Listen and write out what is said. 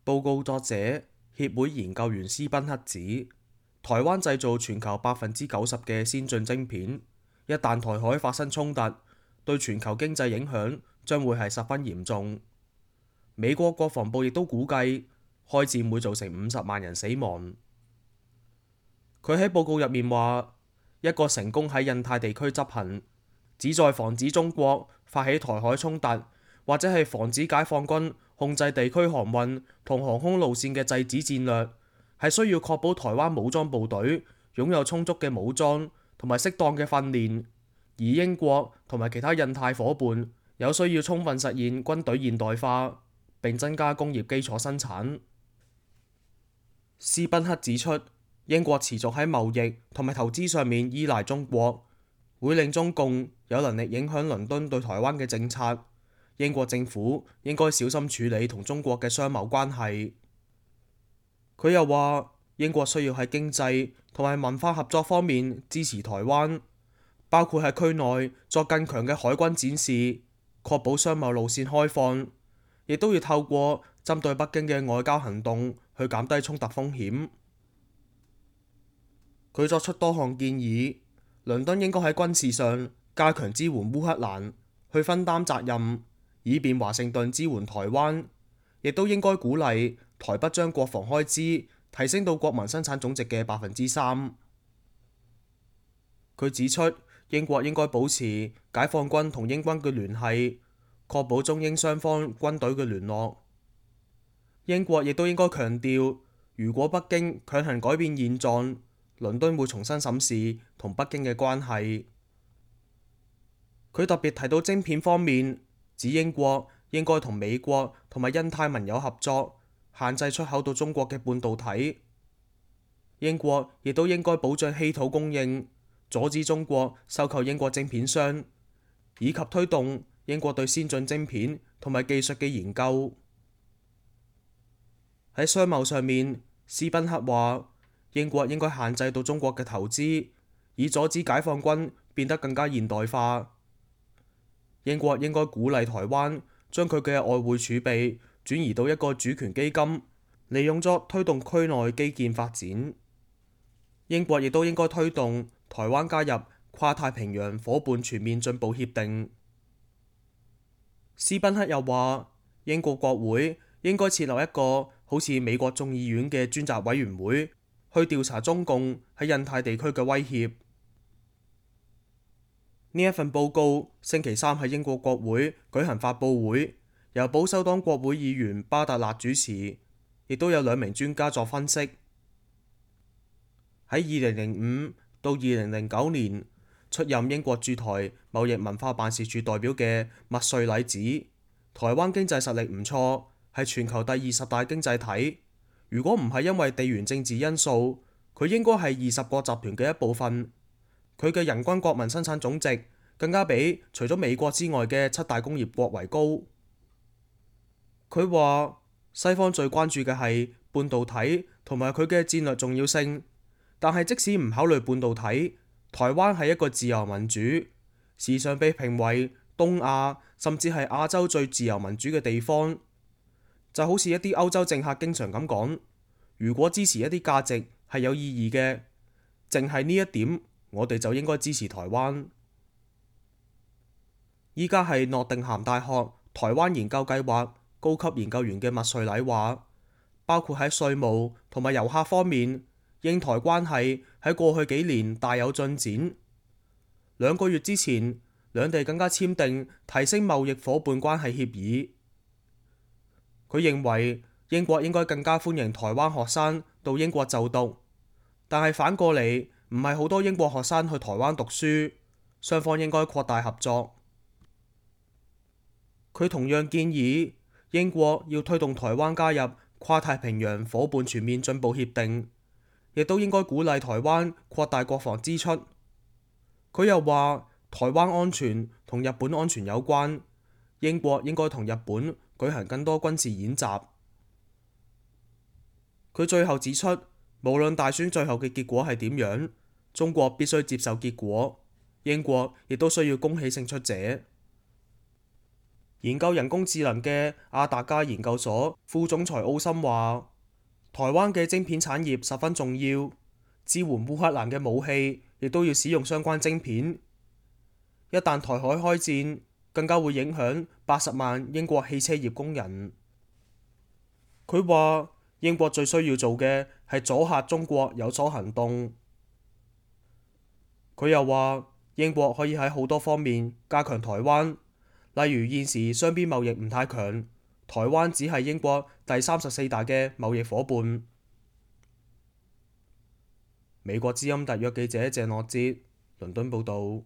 報告作者協會研究員斯賓克指，台灣製造全球90%嘅先進晶片，一旦台海發生衝突，對全球經濟影響將會係十分嚴重。美國國防部亦都估計，開戰會造成50萬人死亡。佢喺報告入面話，一個成功喺印太地區執行，旨在防止中國發起台海衝突，或者係防止解放軍控制地區航運同航空路線嘅制止戰略，係需要確保台灣武裝部隊擁有充足嘅武裝同埋適當嘅訓練，而英國同埋其他印太夥伴有需要充分實現軍隊現代化，並增加工業基礎生產。斯賓克指出，英國持續喺貿易同埋投資上面依賴中國，會令中共有能力影響倫敦對台灣嘅政策。英國政府應該小心處理同中國嘅商貿關係。佢又話，英國需要喺經濟同埋文化合作方面支持台灣，包括喺區內作更強嘅海軍展示，確保商貿路線開放，亦都要透過針對北京嘅外交行動去減低衝突風險。佢作出多項建議，倫敦應該喺軍事上加強支援烏克蘭，去分擔責任，以便華盛頓支援台灣，亦都應該鼓勵台北將國防開支提升到國民生產總值嘅3%。佢指出，英國應該保持解放軍同英軍嘅聯繫，確保中英雙方軍隊嘅聯絡。英國亦都應該強調，如果北京強行改變現狀，倫敦會重新審視同北京嘅關係。佢特別提到晶片方面，指英國應該同美國同埋印太盟友合作，限制出口到中國嘅半導體。英國亦都應該保障稀土供應，阻止中國收購英國晶片商，以及推動英國對先進晶片同埋技術嘅研究。喺商貿上面，斯賓克話，英國應該限制到中國嘅投資，以阻止解放軍變得更加現代化。英國應該鼓勵台灣將佢嘅外匯儲備轉移到一個主權基金，利用作推動區內基建發展。英國亦都應該推動台灣加入跨太平洋夥伴全面進步協定。斯賓克又話，英國國會應該設立一個好似美國眾議院嘅專責委員會，去調查中共喺印太地區嘅威脅。呢一份報告星期三喺英國國會舉行發佈會，由保守黨國會議員巴特勒主持，亦都有2名專家作分析。喺2005到2009年出任英國駐台貿易文化辦事處代表嘅麥瑞禮指，台灣經濟實力唔錯，係全球第20大經濟體。如果唔係因為地緣政治因素，佢應該係20國集團嘅一部分。佢嘅人均國民生產總值更加比除咗美國之外嘅7大工業國為高。佢話西方最關注嘅係半導體同埋佢嘅戰略重要性，但係即使唔考慮半導體，台灣係一個自由民主，時常被評為東亞甚至係亞洲最自由民主嘅地方。就好似一啲歐洲政客經常咁講，如果支持一啲價值係有意義嘅，淨係呢一點，我哋就應該支持台灣。依家係諾定咸大學台灣研究計劃高級研究員嘅麥瑞禮話，包括喺稅務同埋遊客方面，英台關係喺過去幾年大有進展。2個月之前，兩地更加簽訂提升貿易夥伴關係協議。佢認為英國應該更加歡迎台灣學生到英國就讀，但係反過嚟，唔係好多英國學生去台灣讀書，雙方應該擴大合作。佢同樣建議英國要推動台灣加入跨太平洋夥伴全面進步協定，亦都應該鼓勵台灣擴大國防支出。佢又話台灣安全同日本安全有關，英國應該同日本舉行更多軍事演習。佢最後指出，無論大選最後嘅結果係點樣，中國必須接受結果，英國亦都需要恭喜勝出者。研究人工智能嘅阿達加研究所副總裁奧森話：台灣嘅晶片產業十分重要，支援烏克蘭嘅武器亦都要使用相關晶片。一旦台海開戰，更加會影響80萬英國汽車業工人。佢話英國最需要做嘅係阻嚇中國有所行動。佢又話英國可以喺好多方面加強台灣，例如現時雙邊貿易唔太強，台灣只係英國第34大嘅貿易夥伴。美國之音特約記者謝諾哲倫敦報導。